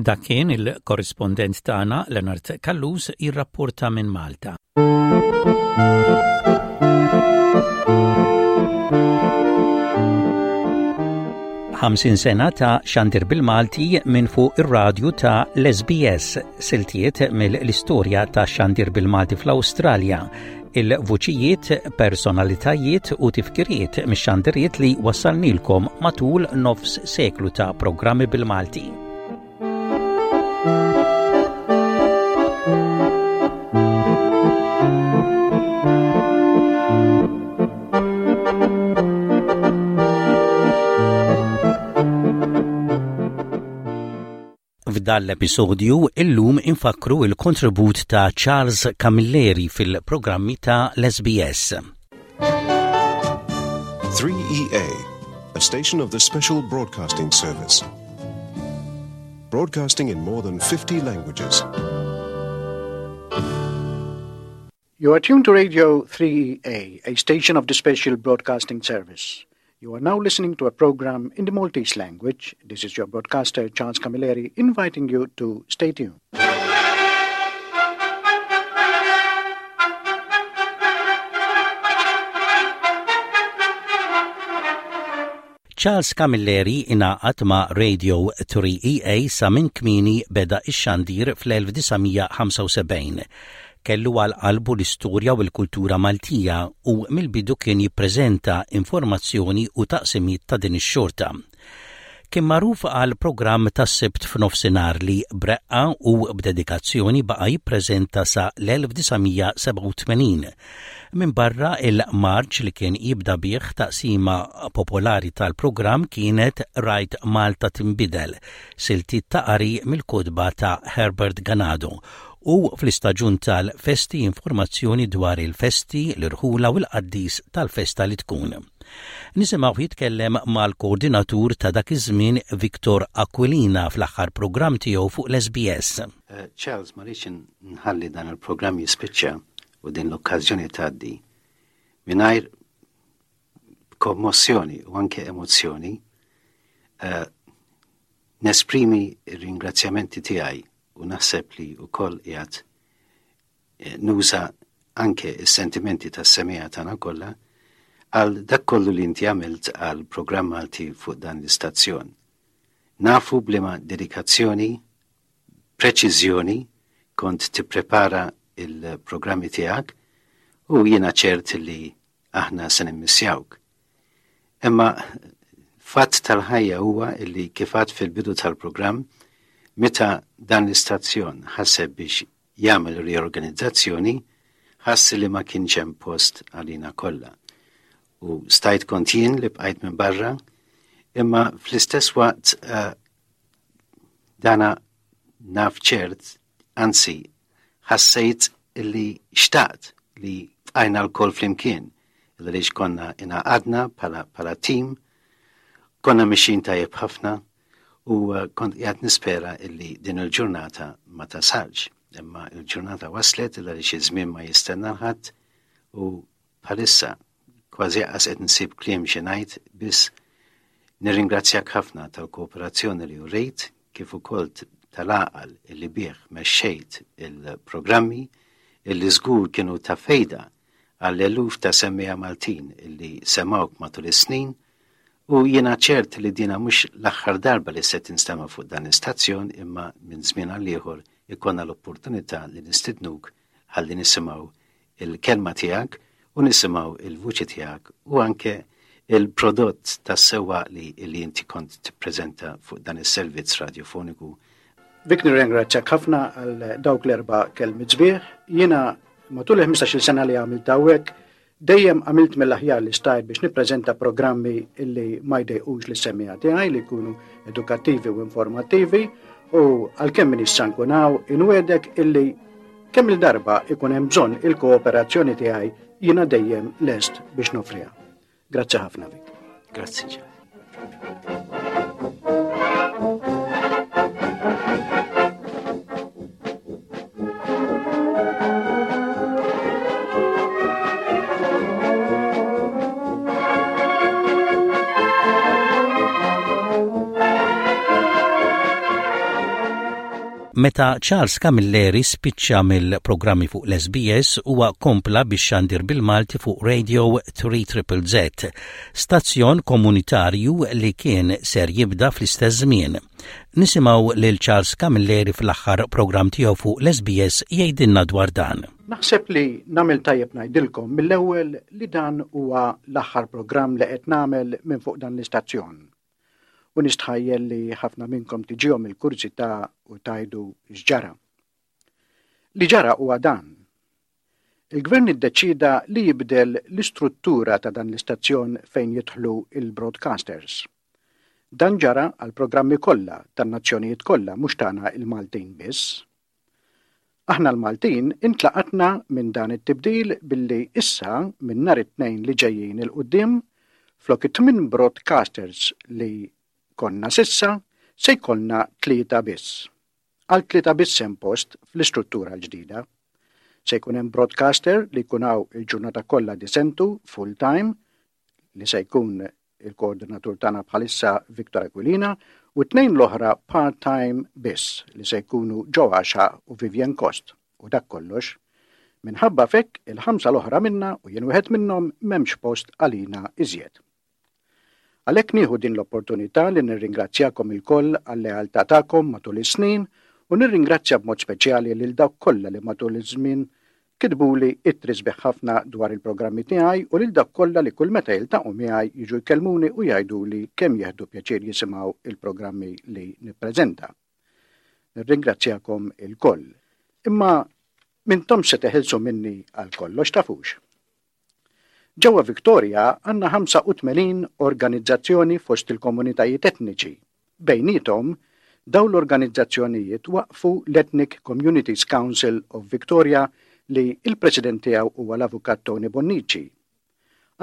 Dak kien il-korrispondent tagħna Leonard Callus jirrapporta minn Malta. Ħamsin sena ta' xandir bil-Malti minn fuq ir-radju ta' l-S B S, siltiet mill-istorja ta' xandir bil-Malti fl-Awstralja, il-vuċijiet, personalitajiet u tifkiriet mix-xandiriet li wassalnilkom matul nofs seklu ta' programmi bil-Malti. F'dan l-episodju illum infakru il-kontribut ta' Charles Camilleri fil-programmi ta' l-S B S. three E A, a station of the Special Broadcasting Service. Broadcasting in more than fifty languages. You are tuned to Radio three E A, a station of the Special Broadcasting Service. You are now listening to a program in the Maltese language. This is your broadcaster, Charles Camilleri, inviting you to stay tuned. Charles Camilleri ingħaqad ma' Radio three E A sa minn kmieni beda ix-xandir fl-elf disa' mija ħamsa u sebgħin. Kellu għal qalbu l-istorja u l-kultura Maltija u mill-bidu kien jippreżenta informazzjoni u taqsimiet ta' din ix-xorta. Kien magħruf għal programm tas-Sibt f'nofsinhar li b'reqqa u b'dedikazzjoni baqa' jippreżenta sa l-elf disa' mija sebgħa u tmenin. Min barra il-marċ li kien jibda bih, taqsima popolari tal-programm kienet Rajt Malta Timbidel, siltiet ta' qari mill-kotba ta' Herbert Ganado, u fl-istaġun tal-festi informazzjoni dwar il-festi, l-irħula u l-qaddis tal-festa li tkun. Nisimgħu jitkellem mal-koordinatur ta' dak iż-żmien Victor Aquilina fl-aħħar programm tiegħu fuq l-S B S. Uh, Charles, ma rridx nħalli dan il-programm jispiċċa u din l-okkażjoni tgħaddi mingħajr kommossjoni u anke emozzjoni uh, nesprimi r-ringrazzjamenti tiegħi u naħseb li wkoll qiegħed eh, nuża anke is-sentimenti tas-semmiegħa tagħna kollha għal dak kollu li inti għamilt għal programm Malti fuq dan l-istazzjon. Nafu b'liema dedikazzjoni, preċiżjoni kont tipprepara il-programmi tiegħek u jiena ċert li aħna se nimmissjawk. Imma fatt tal-ħajja huwa illi kif għedt fil-bidu tal-programm, meta dan l-istazzjon ħaseb biex jagħmel riorganizzazzjoni, ħass li ma kienx hemm post għalina kollha. U stajt kont jien li bqajt minn barra, imma fl-istess waqt uh, dana naf ċert, anzi, ħassejt illi xtaqt li bqajna lkoll flimkien, illi konna ingħaqadna bħala, bħala team, konna mexjin tajjeb ħafna u uh, kont qiegħed nispera illi din il-ġurnata ma tasalx. Imma il-ġurnata waslet illi xi żmien ma jistenna ħadd u bħalissa kważi qas qed nsib kliem xi ngħid, biss nirringrazzjak ħafna tal-kooperazzjoni li urejt kif ukoll tal-għaqal illi bih mexxejt il-programmi illi żgur kienu ta' fejda għall-eluf ta' semmiegħa Maltin illi semawk matul is-snin, u jiena ċert li dina mhux l-aħħar darba li se tinstema' fuq dan l-istazzjon, imma minn żmien għal ieħor ikollna l-opportunità li nistidnuk ħalli nisimgħu il-kelma tiegħek u nisimgħu il-vuċi tiegħek u anke il-prodott tas-sewwa li, li inti kont tippreżenta fuq dan is-servizz radiofoniku. Vic, nirringrazzjak ħafna għal dawk l-erba' kelmiet sbieħ. Jiena matul il-ħmistax-il sena li għamilt hawnhekk dejjem għamilt mill-aħjar li stajt biex nippreżenta programmi illi ma jdejqux lis-semmiegħa tiegħi, li jkunu edukattivi u informattivi, u għalkemm m'iniex se nkun hawn, inwiegħdek illi kemm il-darba ikun hemm bżonn il-kooperazzjoni tiegħi, jiena dejjem lest biex noffriha. Grazzi ħafna, Vic. Grazzi ġa. Meta Charles Camilleri spiċċa mill-programmi fuq l-S B S, huwa kompla biex xandir bil-Malti fuq Radio three Z, stazzjon komunitarju li kien ser jibda fl-istess żmien. Nisimgħu lil Charles Camilleri fl-aħħar programm tiegħu fuq l-S B S jgħidilna dwar dan. Naħseb li nagħmel tajjeb ngħidilkom mill-ewwel li dan huwa l-aħħar programm li qed nagħmel minn fuq dan l-istazzjon. U nistħajjel li ħafna minnkom tiġihom il-kurżità u tgħidu x'ġara. Li ġara huwa dan. Il-gvern iddeċida li jibdel l-istruttura ta' dan l-istazzjon fejn jidħlu il-broadcasters. Dan ġara għal programmi kollha tan-nazzjonijiet kollha, mhux tagħna il-Maltin biss. Aħna l-Maltin intlaqatna minn dan it-tibdil billi issa minn nhar it-Tnejn li ġejjin 'il quddiem, flok it-tmien broadcasters li konna s'issa, se jkollna tlieta biss. Għal tlieta biss hemm post fl-istruttura l-ġdida. Se jkun hemm broadcaster li jkun hawn il-ġurnata kollha disentu full time, li se jkun il-koordinatur tagħna bħalissa Victor Aquilina, u tnejn l-oħra part-time biss, li se jkunu Joe Axiaq u Vivian Cost, u dak kollox. Minħabba f'hekk, il-ħamsa l-oħra minna, u jien wieħed minnhom, m'hemmx post għalina iżjed. Għalhekk nieħu din l-opportunità li nirringrazzjakom ilkoll għal-lealtà tagħkom matul is-snin u nirringrazzja b'mod speċjali lil dawk kollha li matul iż-żmien kitbuli ittri sbieħ ħafna dwar il-programmi tiegħi u lil dawk kollha li kull meta jiltaqgħu miegħi jiġu jkellmuni u jgħiduli kemm jieħdu pjaċir jisimgħu il-programmi li nippreżenta. Nirringrazzjakom ilkoll. Imma m'intomx se teħilsu minni għal kollox, tafux. Ġewwa Victoria għandna ħamsa u tmenin organizzazzjoni fost il-komunitajiet etniċi. Bejnietom, dawn l-organizzazzjonijiet waqfu l-Ethnic Communities Council of Victoria li il-president tiegħu huwa l-avukat Tony Bonnici.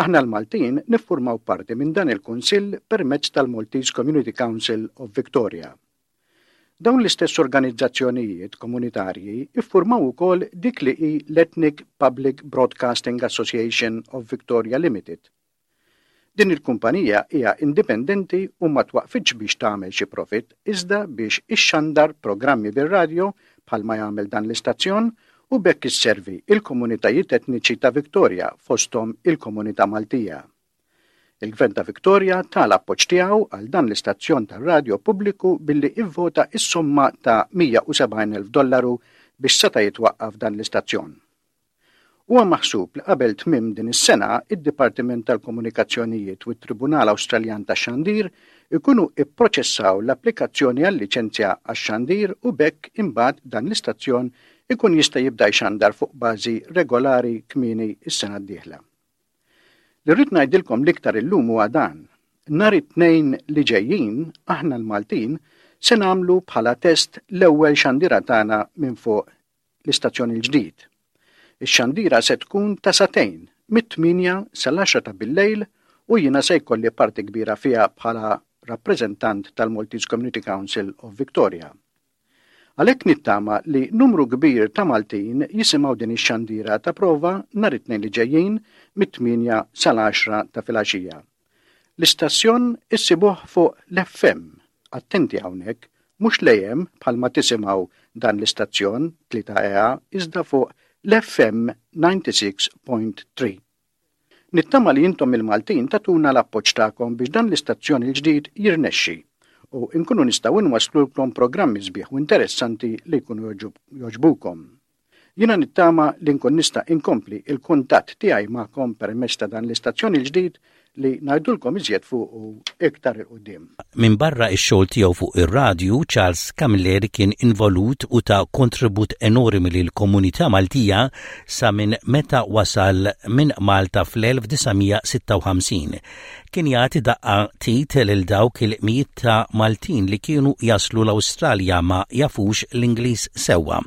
Aħna l-Maltin niffurmaw parti minn dan il-Kunsill permezz tal-Maltese Community Council of Victoria. Dawn l-istess organizzazzjonijiet komunitarji iffurmaw ukoll dik li hi l-Ethnic Public Broadcasting Association of Victoria Limited. Din il-kumpanija hija indipendenti u ma twaqfitx biex tagħmel xi profit, iżda biex ixxandar programmi bir-radjo bħalma jagħmel dan l-istazzjon u b'hekk isservi il-komunitajiet etniċi ta' Victoria, fosthom il-komunità Maltija. Il-Gvern ta' Victoria ta l-appoġġ tiegħu għal dan l-istazzjon tar-radjo pubbliku billi ivvota is-somma ta' mija u sebgħin elf dollaru biex seta' jitwaqqaf dan l-istazzjon. Huwa maħsub li qabel tmiem din is-sena id-Dipartiment tal-Komunikazzjonijiet u t-Tribunal Awstraljan tax-Xandir ikunu ipproċessaw l-applikazzjoni għal-liċenzja għax-xandir u b'hekk imbagħad dan l-istazzjon ikun jista' jibda jxandar fuq bażi regolari kmieni is-sena d-dieħla. Li rrid ngħidilkom l-iktar illum huwa dan. Nhar it-Tnejn li ġejjin aħna l-Maltin se nagħmlu bħala test l-ewwel xandira tagħna minn fuq l-istazzjon il-ġdid. Ix-xandira se tkun ta' sagħtejn, mit-tmienja sal-għaxra ta' billejl, u jiena se jkolli parti kbira fiha bħala rappreżentant tal-Maltese Community Council of Victoria. Għalhekk nittama li numru kbir ta' Maltin jisimgħu din ix-xandira ta' prova nhar it-Tnejn li ġejjin mit-tmienja sal-għaxra ta' filgħaxija. L-istazzjon issibuh fuq l-F M, attenti hawnhekk, mhux l-A M bħalma tisimgħu dan l-istazzjon tlieta E A, iżda fuq l-F M disgħa u disgħin punt tlieta. Nittama li intom il-Maltin tagħtuna l-appoġġ tagħkom biex dan l-istazzjon il-ġdid jirnexxi u nkunu nistgħu nwaslulkom programmi sbieħ u interessanti li jkunu jogħġbukom. Jiena nittama li nkun nista' inkompli il-kuntatt tiegħi magħkom permezz ta' dan l-istazzjon il-ġdid li ngħidulkom iżjed fuq iktar 'il quddiem. Min barra ix-xogħol tiegħu fuq ir-radju, Charles Camilleri kien involut u ta kontribut enormi lil komunità Maltija sa minn meta wasal minn Malta fl-elf disa' mija sitta u ħamsin. Kien jagħti daqqa t'id lil dawk il-mijiet ta' Maltin li kienu jaslu l-Awstralja ma jafux l-Ingliż sewwa.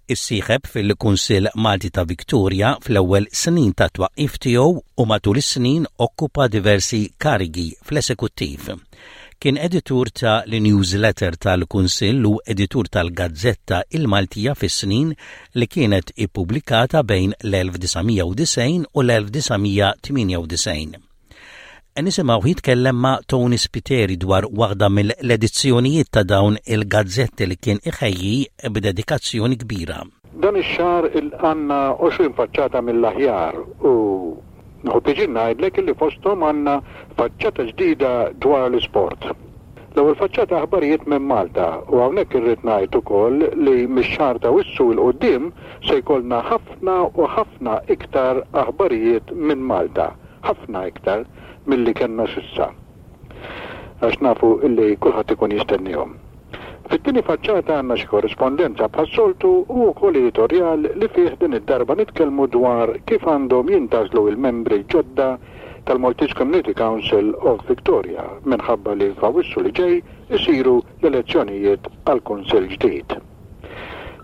Issieħeb fil-Kunsill Malti ta' Victoria fl-ewwel snin ta' twaqqif tiegħu u matul is-snin okkupa diversi karigi fl-esekuttiv. Kien editur ta' l-newsletter tal-Kunsill u editur tal-Gazzetta il-Maltija fis-snin li kienet ippubblikata bejn l-elf disa' mija u disgħin u l-elf disa' mija tmienja u disgħin. Nisimgħu jitkellem ma' Tony Spiteri dwar waħda mill-edizzjonijiet ta' dawn il-gazzetti li kien iħejji b'dedikazzjoni kbira. Dan ix-xahar għandna għoxrin faċċata mill-aħjar u nieħu pjaċir ngħidlek li fosthom għandna faċċata ġdida dwar l-isport. L-ewwel faċċata aħbarijiet minn Malta, u hawnhekk irrid ngħid ukoll li mix-xahar ta' Awwissu 'l quddiem se jkollna ħafna u ħafna iktar aħbarijiet minn Malta, ħafna iktar milli kellna s'issa. Għax nafu illi kulħadd ikun jistennihom. Fit-tieni faċċata għandna xi korrispondenza bħas-soltu u wkoll editorjal li fih din id-darba nitkellmu dwar kif għandhom jintgħażlu il-membri ġodda tal-Maltese Community Council of Victoria, minħabba li f'Awwissu li ġej isiru l-elezzjonijiet għal kunsill ġdid.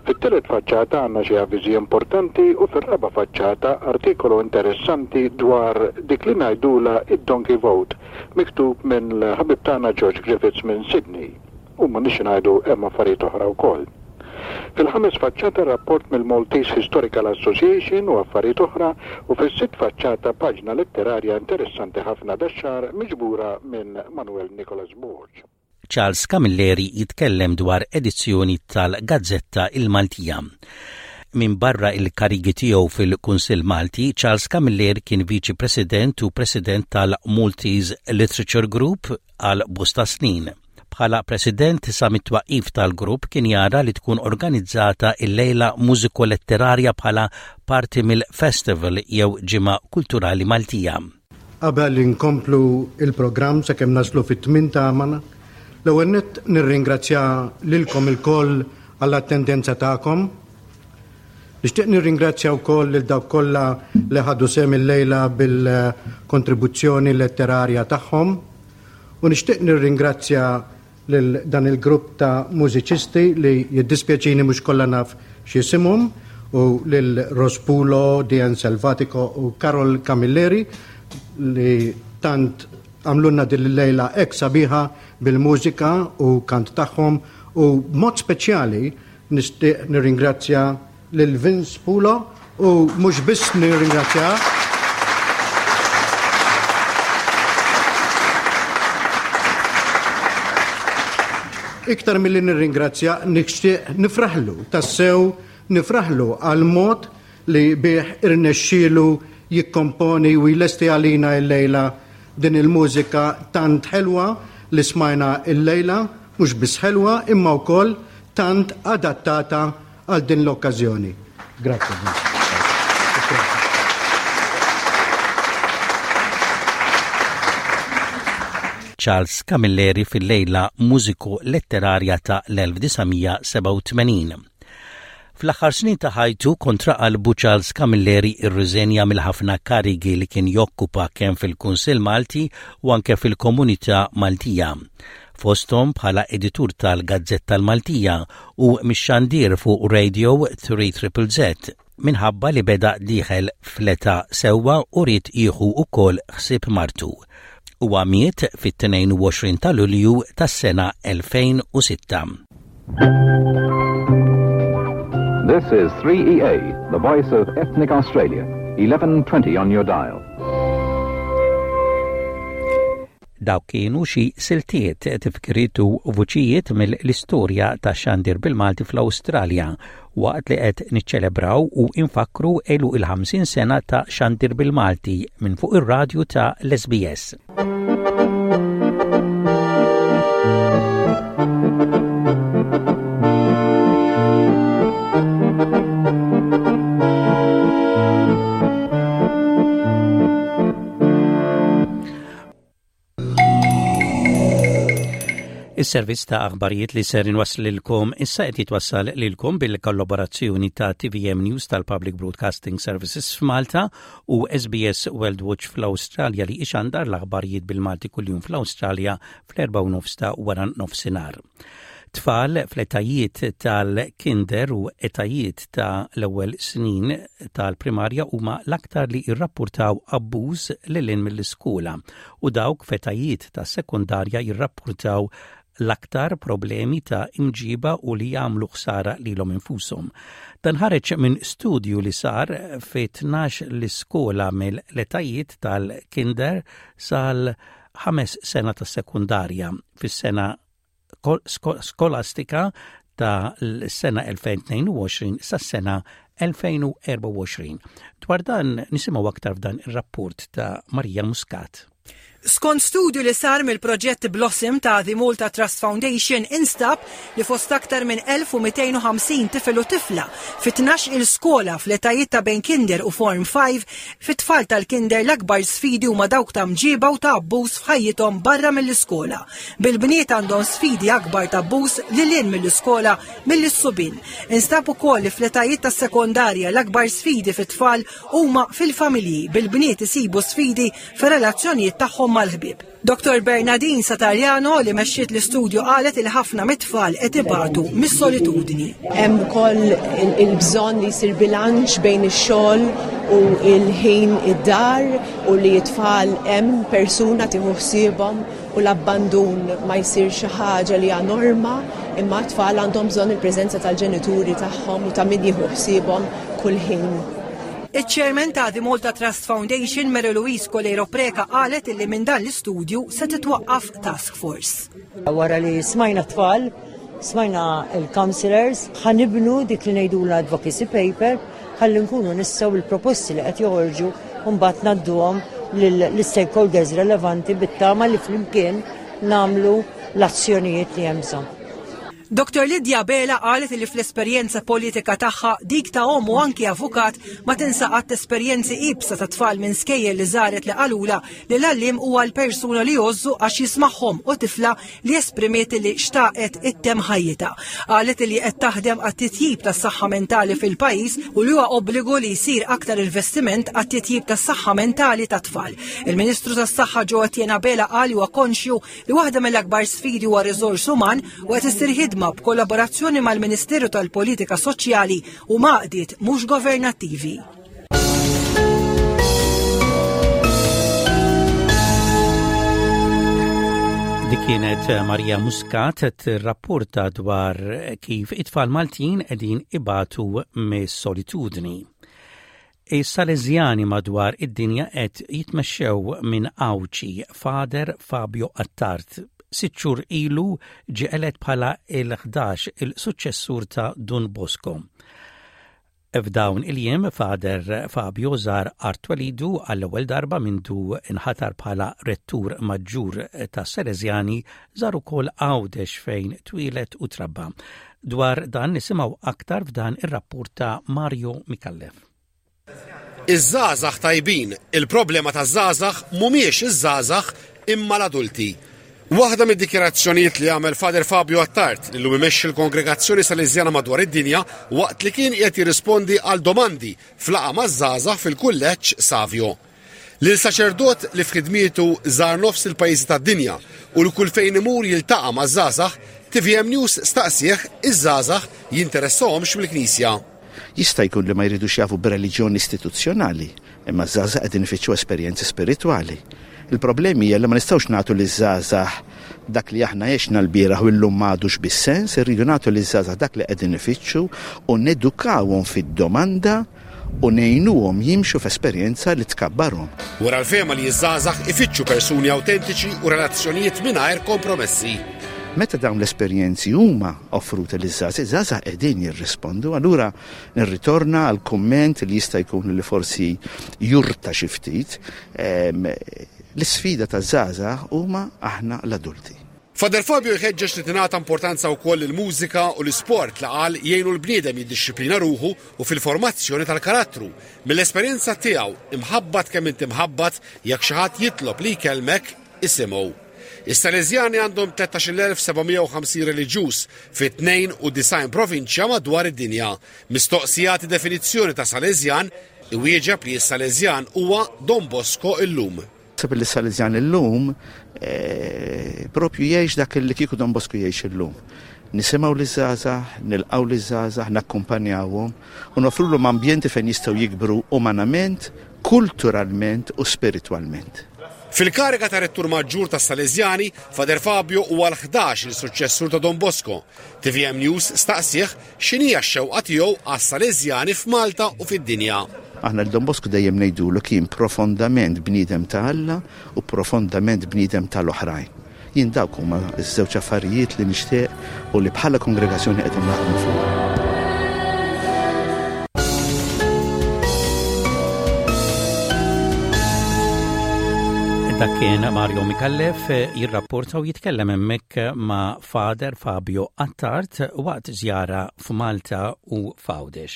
Fit-tielet faċċata għandna xi avviżi importanti u fir-raba' faċċata artikolu interessanti dwar dik li ngħidula id-Donkey Vote, miktub minn l-ħabib tagħna George Griffiths minn Sydney. U ma nix ngħidu hemm affarijiet oħra wkoll. Fil-ħames faċċata rapport mill-Maltese Historical Association u affarijiet oħra, u fis-sitt faċċata paġna letterarja interessanti ħafna dax-xahar miġbura minn Manuel Nicholas Borg. Charles Camilleri jitkellem dwar edizzjoni tal-Gazzetta il-Maltija. Minbarra il-karigi tiegħu fil-Kunsill Malti, Charles Camilleri kien Viċi President u President tal-Maltese Literature Group għal bosta snin. Bħala President sa mit-twaqif tal-grupp kien jara li tkun organizzata il-lejla mużiko-letterarja bħala parti mill-festival jew ġimgħa kulturali Maltija. Qabel inkomplu il-programm sakemm naslu fit-tmien ta' l-ewwel nett nirringrazzja lilkom ilkoll għall-attendenza tagħkom. Nixtieq nirringrazzja wkoll lil dawk kollha li ħadu sehem illejla bil-kontribuzzjoni letterarja tagħhom u nixtieq nirringrazzja lil dan il-grupp ta' mużiċisti li jiddispjaċini mhux kollha naf x'isimhom u lil Rospulo, Dian Selvatico u Karol Camilleri li tant għamlulna din il-lejla hekk sabiħa bil-mużika u kant tagħhom u b'mod speċjali nixtieq nirringrazzja lil Vince Pulo u mhux biss nirringrazzja Iktar milli nirringrazzja nixtieq nifraħlu, tassew nifraħlu għal mod li bih irnexxielu jikkomponi u jlesti għalina l-lejla din il-mużika tant ħelwa li smajna l-lejla, mhux biss ħelwa imma wkoll tant adattata għal din l-okkażjoni. Grazzi. Charles Camilleri fil-lejla mużiko-letterarja ta' l-elf disa' mija sebgħa u tmenin. Fl-aħħar snin ta' ħajtu kontra qalbu Charles Camilleri irriżenja mill-ħafna karigi li kien jokkupa kemm fil-Kunsill Malti u anke fil-Komunità Maltija. Fosthom bħala editur tal-Gazzetta l-Maltija u mix-xandir fuq Radio three Triple Z minħabba li beda dieħel fl-età sewwa u ried jieħu wkoll ħsieb martu. Huwa miet fit-tnejn u għoxrin ta' Lulju tas-sena elfejn u sitta. This is three E A, the voice of ethnic Australia, eleven twenty on your dial. Dawk kienu xi siltiet, tifkiriet u vuċijiet mill-istorja ta' xandir bil-Malti fl-Awstralja waqt li qed niċċelebraw u infakru għeluq il-ħamsin sena ta' xandir bil-Malti minn fuq ir-radju ta' l-S B S. Is-servizz ta' aħbarijiet li ser inwasslilkom issa qed jitwassal lilkom bil-kollaborazzjoni ta' T V M News tal-Public Broadcasting Services f'Malta u S B S World Watch fl-Awstralja li ixandar l-aħbarijiet bil-Malti kuljum fl-Awstralja fl-erbgħa u nofs ta' wara nofsinhar. Tfal fl-etajiet tal-kinder u etajiet ta' l-ewwel snin tal-primarja huma l-aktar li jirrappurtaw abbuż lil hinn mill-iskola u dawk f'etajiet tas-sekondarja jirrappurtaw l-aktar problemi ta' imġiba u li jagħmlu ħsara lilhom infushom. Dan ħareġ minn studju li sar fi tnax l-iskola mill-etajiet tal-kinder sal ħames sena tas-sekondarja fis-sena kol-, sko-, skolastika ta' l-sena elfejn tnejn u għoxrin sas-sena elfejn u erba' u għoxrin. Dwar dan nisimgħu aktar f'dan ir-rapport ta' Marija Muscat. Skont studju li sar mill-proġett Blossom ta' The Malta Trust Foundation instab li fost aktar minn elf u mitejn u ħamsin tifel u tifla fi tnax il-skola fl-etajiet ta' bejn kinder u Form five, fit-tfal tal-kinder l-akbar sfidi huma dawk ta' mġiba u ta' abbuż f'ħajjithom barra mill-iskola. Bil-bniet għandhom sfidi akbar ta' abbuż lil hinn mill-iskola mill-subien. Instab ukoll li fl-etajiet tas-sekondarja l-akbar sfidi fit-tfal huma fil-familji, bil-bniet isibu sfidi fir-relazzjonijiet tagħhom mal-ħbieb. Doktor Bernardine Satariano li mexxiet l-istudju qalet il ħafna mit-tfal qed ibatu mis-solitudni. Hemm ukoll il-, il-bżonn li jsir bilanċ bejn ix-xogħol u l-ħin id-dar u li t-tfal hemm persuna tieħu ħsiebhom u l-abbandun ma jsir xi ħaġa li hija norma, imma t-tfal għandhom bżonn il-preżenza tal-ġenituri tagħhom u ta' min jieħu ħsiebhom kull ħin. Iċ-chairman ta' The Malta Trust Foundation, Mary Louise Coleiro Preca, qalet illi minn dan l-istudju se titwaqqaf task force. Wara li smajna t-tfal Smajna il-councillors, ħa nibnu dik li ngħidulha advocacy paper ħalli nkunu nistgħu il-proposti li qed joħorġu mbagħad ngħadduhom lill-stakeholders relevanti bit-tama li flimkien nagħmlu l-azzjonijiet li hemm bżonn. Dr. Lydia Abela qalet li fl-esperjenza politika tagħha dik ta' omm u anki avukat ma tinsa qatt esperjenzi iebsa ta' tfal minn skejjel li żaret li qalula li l-għalliem huwa l-persuna li jgħożżu għax jismagħhom u tifla li esprimiet li xtaqet ittemm ħajjitha. Qalet li qed taħdem għat-titjib tas-saħħa mentali fil-pajjiż u li huwa obbligu li jsir aktar investiment għat-titjib tas-saħħa mentali tat-tfal. Il-Ministru tas-Saħħa Jo Etienne Abela qal huwa konxju li waħda mill-akbar sfidi huwa riżors uman u qed issir ħidma b'kollaborazzjoni mal-Ministeru tal-Politika Soċjali u għaqdiet mhux governattivi. Dik kienet Maria Muscat tirrapporta dwar kif it-tfal Maltin qegħdin ibatu mis-solitudni. Is-Salesjani madwar id-dinja qed jitmexxew minn Għawdxi Father Fabio Attard. Sitt xhur ilu ġie elett bħala il-ħdax il-suċċessur ta' Dun Bosco. F'dawn il-jiem Father Fabio żar art twelidu għall-ewwel darba mindu inħatar bħala rettur maġġur ta' Salesjani żar ukoll Għawdex fejn twieled u trabba. Dwar dan nisimgħu aktar f'dan ir-rapport ta' Mario Micallef. Iż-żgħażagħ tajbin, il-problema taż-żgħażagħ mhumiex iż-żgħażagħ imma l-adulti. Waħda mid-dikjarazzjonijiet li għamel Father Fabio Attard li llum imexxi l-kongregazzjoni Salesjana madwar id-dinja waqt li kien qiegħed jirrispondi għal domandi f'laqgħa maż-żgħażagħ fil-kulleġġ Savio. Lil saċerdot li f'ħidmietu żar nofs il-pajjiżi tad-dinja u li kull fejn imur jiltaqa' maż-żgħażagħ, TVM News staqsih iż-żgħażagħ jinteressahomx mill-Knisja. Jista' jkun li ma jridux jafu b'reliġjon istituzzjonali, imma ż-żgħażagħ qegħdin ifittxu esperjenzi spiritwali. Il-problemi hija li ma nistgħux nagħtu liż-żgħażagħ dak li aħna għexna l-bieraħ u llum m'għadux bis-sens, irridu nagħtu liż-żgħażagħ dak li qegħdin ifittxu u nedukawhom fid-domanda u ngħinuhom jimxu f'esperjenza li tkabbarhom. Wara l-fehma li ż-żgħażagħ ifittxu persuni awtentiċi u relazzjonijiet mingħajr kompromessi. Meta dawn l-esperjenzi huma offruti liż-żgħażagħ, iż-żgħażagħ qegħdin jirrispondu, allura nirritorna għal kumment li jista' jkun li forsi jurta xi ftit. L-isfida taż-żgħażagħ huma aħna l-adulti. Father Fabio jħeġġeġ li tingħata importanza wkoll il-mużika u l-isport li qal jgħinu l-bniedem jiddixxiplina ruħu u fil-formazzjoni tal-karattru. Mill-esperjenza tiegħu imħabbat kemm inti mħabbat jekk xi ħadd jitlob li jkellmek isimgħu. Is-Salesjani għandhom tlettax-il elf seba' mija u ħamsin reliġjuż fi tnejn u disgħin provinċja madwar id-dinja. Mistoqsi jagħti definizzjoni ta' Salesjan, iwieġeb li s-Salesjan huwa Don Bosco illum. Naħseb li s-Salesjan illum, eh, propju jgħix dak li kieku Don Bosco jgħix illum. Nisimgħu liż-żgħażagħ, nilqgħu liż-żgħażagħ, nakkumpanjawhom u nofrulhom ambjenti fejn jistgħu jikbru umanament, kulturalment u spiritwalment. Fil-kariga ta' rettur maġġur ta' Salesjani, Father Fabio huwa l-ħdax il-suċċessur ta' Don Bosco. T V M News staqsih x'inhija x-xewqa tiegħu għas-Salesjani f'Malta u fid-dinja. Aħna l-Don Bosco dejjem ngħidulu kien profondament bniedem ta' Alla u profondament bniedem tal-oħrajn. Jien dawk huma ż-żewġ affarijiet li nixtieq u li bħala kongregazzjoni qed naħdmu fuq. Dak kien Mario Micallef jirrapporta u jitkellem hemmhekk ma' Father Fabio Attard waqt żjara f'Malta u f'Għawdex.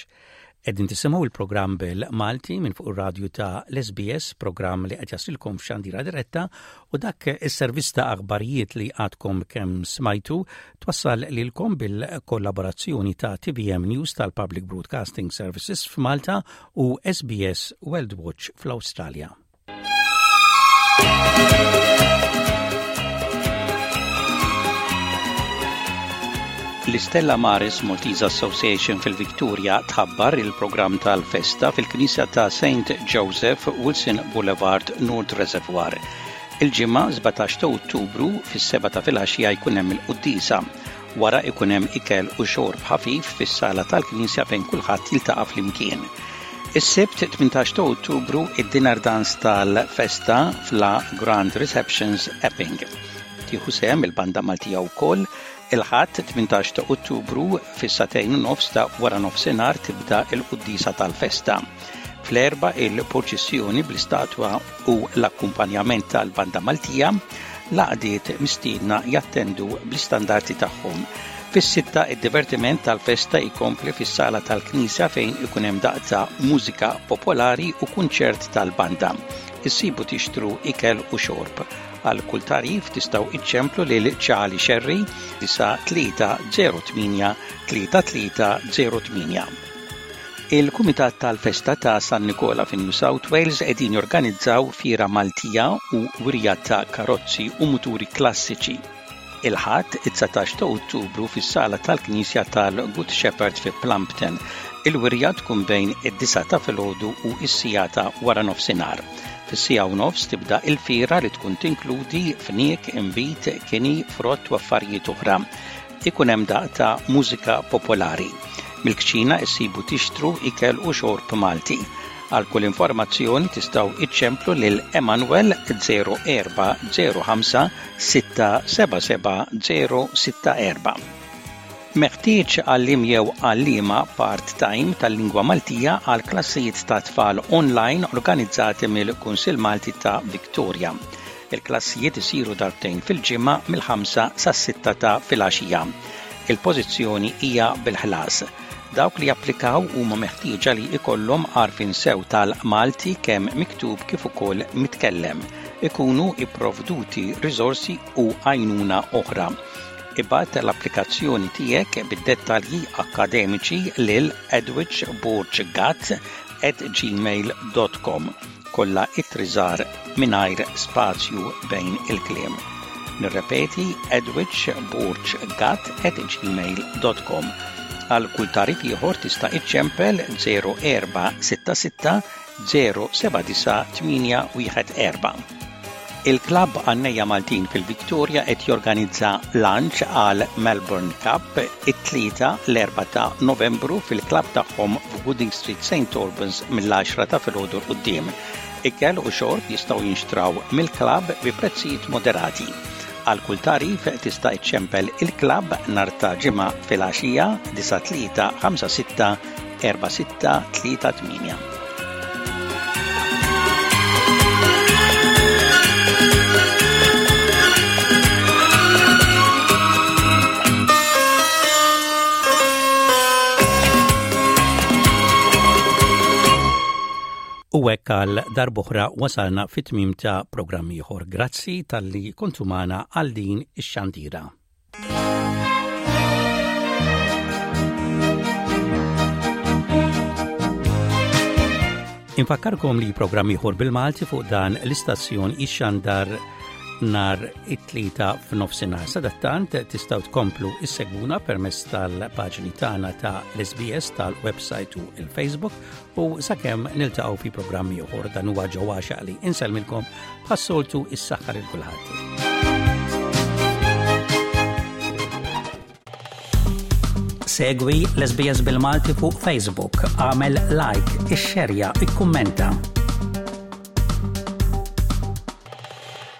Qegħdin tisimgħu il-programm bil-Malti minn fuq ir-radju ta' l-S B S, programm li qed jasilkom f'xandira diretta u dak is-servizz ta' aħbarijiet li għadkom kemm smajtu twassal lilkom bil-kollaborazzjoni ta' T V M News tal-Public Broadcasting Services f'Malta u S B S World Watch fl-Awstralja. L-Istella Maris Maltese Association fil-Victoria tħabbar il-programm tal-festa fil-Knisja ta' Saint Joseph, Wilson Boulevard, North Reservoir. Il-ġimgħa sbatax ta' Ottubru fis-seba ta' filgħaxija jkun hemm il-quddiesa. Wara ikun hemm ikel u xorb ħafif fis-sala tal-Knisja fejn kulħadd jiltaqa' flimkien. Is-Sibt tmintax ta' Ottubru id-dinner dance tal-festa fla Grand Receptions Epping. Tieħu sehem il-banda Maltija wkoll. Il-Ħadd tmintax ta' Ottubru fis-sagħtejn u nofs ta' wara nofsinhar tibda l-quddiesa tal-festa. Fl-erbgħa il-purċissjoni bl-istatwa u l-akkumpanjament tal-Banda Maltija, l-għaqdiet mistiedna jattendu bl-istandarti tagħhom. Fis-sitta id-divertiment tal-festa jkompli fis-sala tal-knisja fejn ikun hemm daqq ta' mużika popolari u kunċert tal-banda. Issibu tixtru ikel u xorb. Għal kull tagħrif tistgħu iċċemplu lil Charlie Sherry disa' tlieta zero tmienja tlieta tlieta zero tmienja. Il-Kumitat tal-Festa ta' San Nikola fi New South Wales qegħdin jorganizzaw fiera Maltija u wirja ta' karozzi u muturi klassiċi. Il-Ħadd, it-dsatax ta' Ottubru fis-sala tal-Knisja tal-Good Shepherd fi Plumpton. Il-wirja tkun bejn id-disgħa ta' filgħodu u s-siegħa ta' wara nofsinhar. Fis-siegħa u nofs tibda il-fiera li tkun tinkludi fniek, inbid, kini, frott u affarijiet oħra. Ikun hemm daqq ta' mużika popolari. Mill-kċina issibu tixtru ikel u xorb Malti. Għal kull informazzjoni tistgħu iċċemplu lil Emanuel zero erba' zero ħamsa sitta seba' seba' zero sitta erba'. Meħtieġ għalliem jew għalliema part-time tal-lingwa Maltija għal klassijiet ta' tfal online organizzati mill-Kunsill Malti ta' Victoria. Il-klassijiet isiru darbtejn fil-ġimgħa mill-ħamsa sas-sitta ta' filgħaxija. Il-pożizzjoni hija bil-ħlas. Dawk li japplikaw huma meħtieġa li jkollhom għarfien sew tal-Malti kemm miktub kif ukoll mitkellem. Ikunu ipprovduti riżorsi u għajnuna oħra. Ibgħat l-applikazzjoni tiegħek bid-dettalji akkademiċi lil edwichborggat at gmail dot com. Kollha ittri żgħar mingħajr spazju bejn il-kliem. Nirrepeti edwichborggat at gmail dot com. Għal kull tagħrif ieħor tista' iċċempel zero erba' sitta sitta zero seba' disa' tmienja wieħed erba'. Il-klabb Għannejja Maltin fil-Victoria qed jorganizza lunch għal Melbourne Cup it-tlieta l-erbgħa ta' Novembru fil-klabb tagħhom f'Gooding Street Saint Albans mill-għaxra ta' filgħodu 'l quddiem. Ikel u xorb jistgħu jinxtraw mill-klabb bi prezzijiet moderati. Għal kull tagħrif tista' iċċempel il-klabb nhar ta' Ġimgħa filgħaxija disa' tlieta ħamsa sitta erba' sitta tlieta tmienja. U hekk għal darb'oħra wasalna fit-tmiem ta' programm ieħor. Grazzi talli kontu magħna għal din ix-xandira. Infakkarkom li programm ieħor bil-Malti fuq dan l-istazzjon ixxandar nhar it-tlieta f'nofsinhar. Sadattant tistgħu tkomplu issegwuna permezz tal-paġni tagħna ta' l-S B S tal-website u il-Facebook u sakemm niltaqgħu fi programmi ieħor dan huwa Joe Axiaq li insellmilkom bħas-soltu is-saħħa lil kulħadd. Segwi l-S B S bil-Malti fuq Facebook, għamel like, ixxerja, ikkummenta.